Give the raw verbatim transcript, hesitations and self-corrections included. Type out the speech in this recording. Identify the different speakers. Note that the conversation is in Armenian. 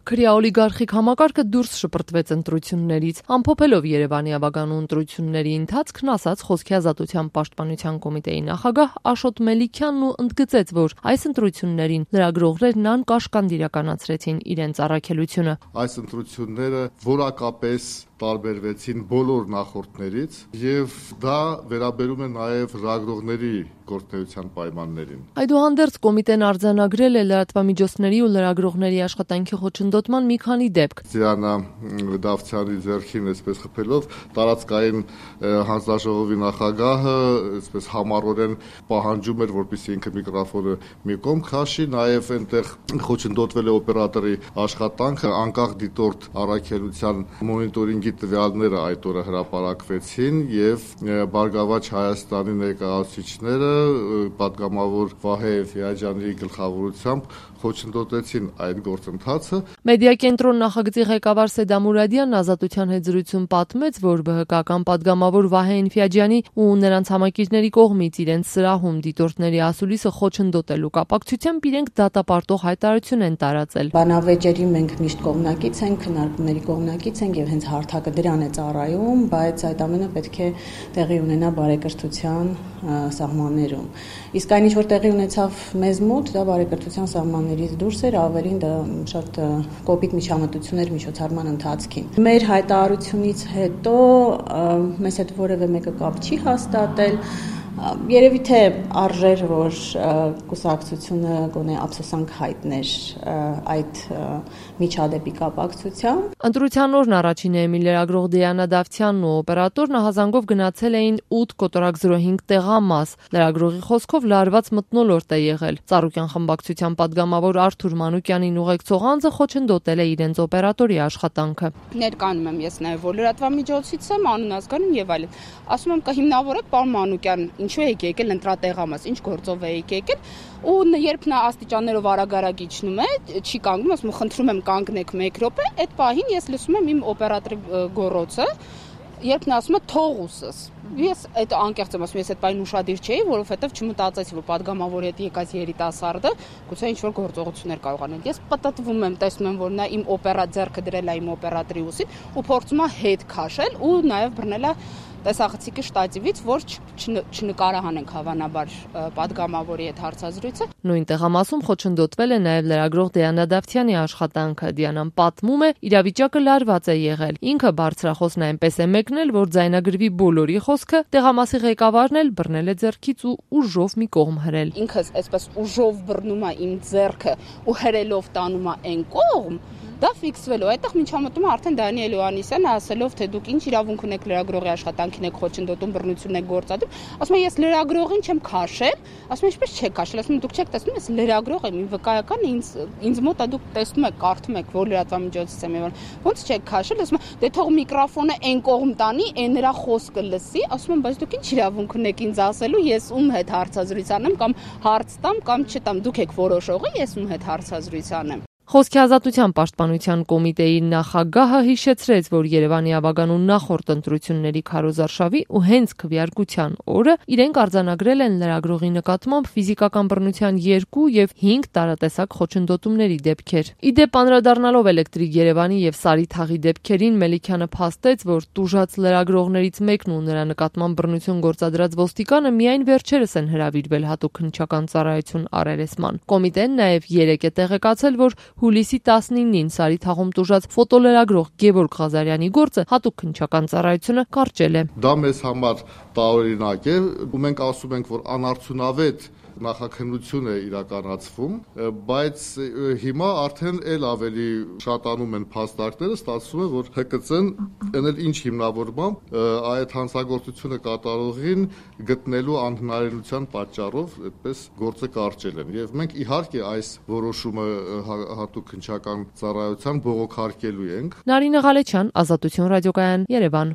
Speaker 1: Քրեա օլիգարխիկ համակարգը դուրս շպրտվեց ընտրություններից, ամփոփելով Երևանի ավագանու ընտրությունների ընթացքն, ասաց Խոսքի ազատության պաշտպանության կոմիտեի նախագահ Աշոտ Մելիքյանն ու ընդգծեց, որ այս ընտրություններին լրագրողներն անկաշկանդ իրականացրեցին իրենց առաքելությունը։
Speaker 2: Այս ընտրությունները որակապես տարբերվեցին բոլոր նախորդներից եւ դա վերաբերում է նաեւ լրագրողների գործունեության պայմաններին։
Speaker 1: Այդուհանդերձ կոմիտեն արձանագրել է լրատվամիջոցների ու լրագրողների աշխատանքի խոչընդոտման մի քանի դեպք։
Speaker 2: Դիանա Դավթյանի ձեռքին այսպես խփելով տարածքային հանձնաժողովի նախագահը այսպես համառորեն պահանջում էր, որպեսզի ինքը միկրոֆոնը մի կողմ քաշի, նաեւ այնտեղ խոչընդոտվել է օպերատորի աշխատանքը, անկախ դիտորդ առաքելության մոնիտորինգի տվյալները այդ օրը հրապարակվեցին եւ Բարգավաճ Հայաստանի ներկայացուցիչները պատգամավոր Վահե Էֆիաջյանի գլխավորությամբ խոչընդոտեցին այդ գործընթացը։
Speaker 1: Մեդիա կենտրոն նախագծի ղեկավար Սեդա Մուրադյանն Ազատության հետ զրույցում պատմեց, որ ԲՀԿ-ական պատգամավոր Վահե Էֆիաջյանի ու նրանց համակիցների կողմից իրենց սրահում դիտորդների ասուլիսը խոչընդոտելու կապակցությամբ իրենք դատապարտող հայտարարություն են տարածել։
Speaker 3: Բանավեճերի մենք միշտ կողմնակից ենք, քննարկումների կողմնակից ենք եւ հենց հարթակը դրան է ծառայում, բայց այդ ամենը պետք է տեղի ունենա բարեկրթության սահմաններում։ Իսկ այն ինչ որ տեղի ունեցավ մեզ մոտ, դա բարեկրթության սահմաններից դուրս էր, ավելին դա շատ կոպիտ միջամտություն էր միջոցառման ընթացքին։ Մեր հայտարարությունից հետո մեզ հետ որևէ մեկը կապ չի հաստատել։ Երևի թե արժեր, որ կուսակցությունը գոնե ափսոսանք հայտներ այդ միջադեպի կապակցությամբ։
Speaker 1: Ընտրության օրն առաջին էմի լրագրող Դիանա Դավթյանն ու օպերատորն ահազանգով գնացել էին ութ կոտորակ զրո հինգ տեղամաս։ Լրագրողի խոսքով լարված մթնոլորտ է եղել։ Ծառուկյան խմբակցության պատգամավոր Արթուր Մանուկյանին ուղեկցող անձը խոչընդոտել է իրենց օպերատորի աշխատանքը։
Speaker 4: Ներկայանում եմ ես նաև որ լրատվամիջոցից եմ, անուն ազգանուն եւ այլն։ Ասում եմ կհիմնավորեք պարոն Մանուկյան, ինչու եք եկել ընտրատեղամաս, ինչ գործով եք եկել, ու երբ նա աստիճաններով արագ-արագ իջնում է, չի կանգնում, ասում եմ խնդրում եմ կանգնեք մեկ րոպե, այդ պահին ես լսում եմ իմ օպերատորի գոռոցը, երբ նա ասում է թող ուսս։ Ես այդ անկեղծ եմ ասում, ես այդ պահին ուշադիր չէի, որովհետև չմտածեցի, որ պատգամավորի հետ եկած երիտասարդը գուցե ինչ-որ գործողություններ կարող անել։ Ես պտտվում եմ, տեսնում եմ, որ նա իմ օպերա ձեռքը դրել է իմ օպերատորի ուսին ու փորձում է հետ քաշել ու նաև բռնել է տեսախցիկի շտատիվից, որ չնկարահանենք հավանաբար պատգամավորի հետ հարցազրույցը։
Speaker 1: Նույն տեղամասում խոչընդոտվել է նաև լրագրող Դիանա Դավթյանի աշխատանքը։ Դիանան պատմում է, իրավիճակը լարված է եղել։ Ինքը բարձրախոսն այնպես է մեկնել, որ ձայնագրվի բոլորի խոսքը, տեղամասի ղեկավարն էլ բռնել է ձեռքից ու ուժով մի կողմ հրել։
Speaker 4: Ինքս այսպես ուժով բռնում է իմ ձեռքը ու հրելով տանում է այն կողմ։ Դա ֆիքսվելու, այդտեղ միջամտումը արդեն Դանիել Հովհաննիսյանը ասելով, թե դուք ինչ իրավունք ունեք լրագրողի աշխատանքին եք խոչընդոտում, բռնություն եք գործադրում, ասում եմ ես լրագրողին չեմ քաշել, ասում եմ ինչպես չեք քաշել, ասում եմ դուք չեք տեսնում, ես լրագրող եմ, իմ վկայական ինձ ինձ մոտ է դուք տեսնում եք, կարդում եք, որ լրատվամիջոցից եմ եւ ոնց չեք քաշել, ասում եմ դե թող միկրոֆոնը այն կողմ տանի, այն նրա խոսքը լսի, ասում եմ բայց դուք ինչ իրավունք ունեք ինձ ասելու, ես ում հետ հարցազրույց անեմ կամ հարց տամ կամ չտամ, դուք եք որոշողը, ես ում հետ հարցազրույց անեմ։
Speaker 1: Խոսքի ազատության պաշտպանության կոմիտեի նախագահը հիշեցրեց, որ Երևանի ավագանու նախորդ ընտրությունների քարոզարշավի ու հենց քվեարկության օրը իրենք արձանագրել են լրագրողի նկատմամբ ֆիզիկական բռնության երկու եւ հինգ տարատեսակ խոչընդոտումների դեպքեր։ Իդեպ անդրադառնալով Էլեկտրիկ Երևանի եւ Սարի թաղի դեպքերին Մելիքյանը փաստեց, որ տուժած լրագրողներից մեկն ու նրա նկատմամբ բռնություն գործադրած ոստիկանը միայն վերջերս են հրավիրվել հատուկ քննչական ծառայություն առերեսման։ Կոմիտեն նաեւ երեկ է տեղեկացել, որ հուլիսի տասնինին Սարի թաղում տուժած ֆոտոլրագրող Գևորգ Ղազարյանի գործը հատուկ քննչական ծառայությունը կարճել է։
Speaker 2: Դա մեզ համար տարօրինակ է, ու մենք ասում ենք, որ անարդյունավետ նախաքննություն է իրականացվում, բայց հիմա արդեն էլ ավելի շատանում են փաստարկները, ստացվում է, որ Հ Կ Ց-ն այնել ինչ հիմնավորմամբ այդ հանցագործությունը կատարողին գտնելու անհնարինության պատճառով այդպես գործը կարճել են։ Եվ մենք իհարկե այս որոշումը հատուկ քննչական ծառայության բողոքարկելու ենք։
Speaker 1: Նարինե Ղալեչյան, Ազատություն ռադիոկայան, Երևան։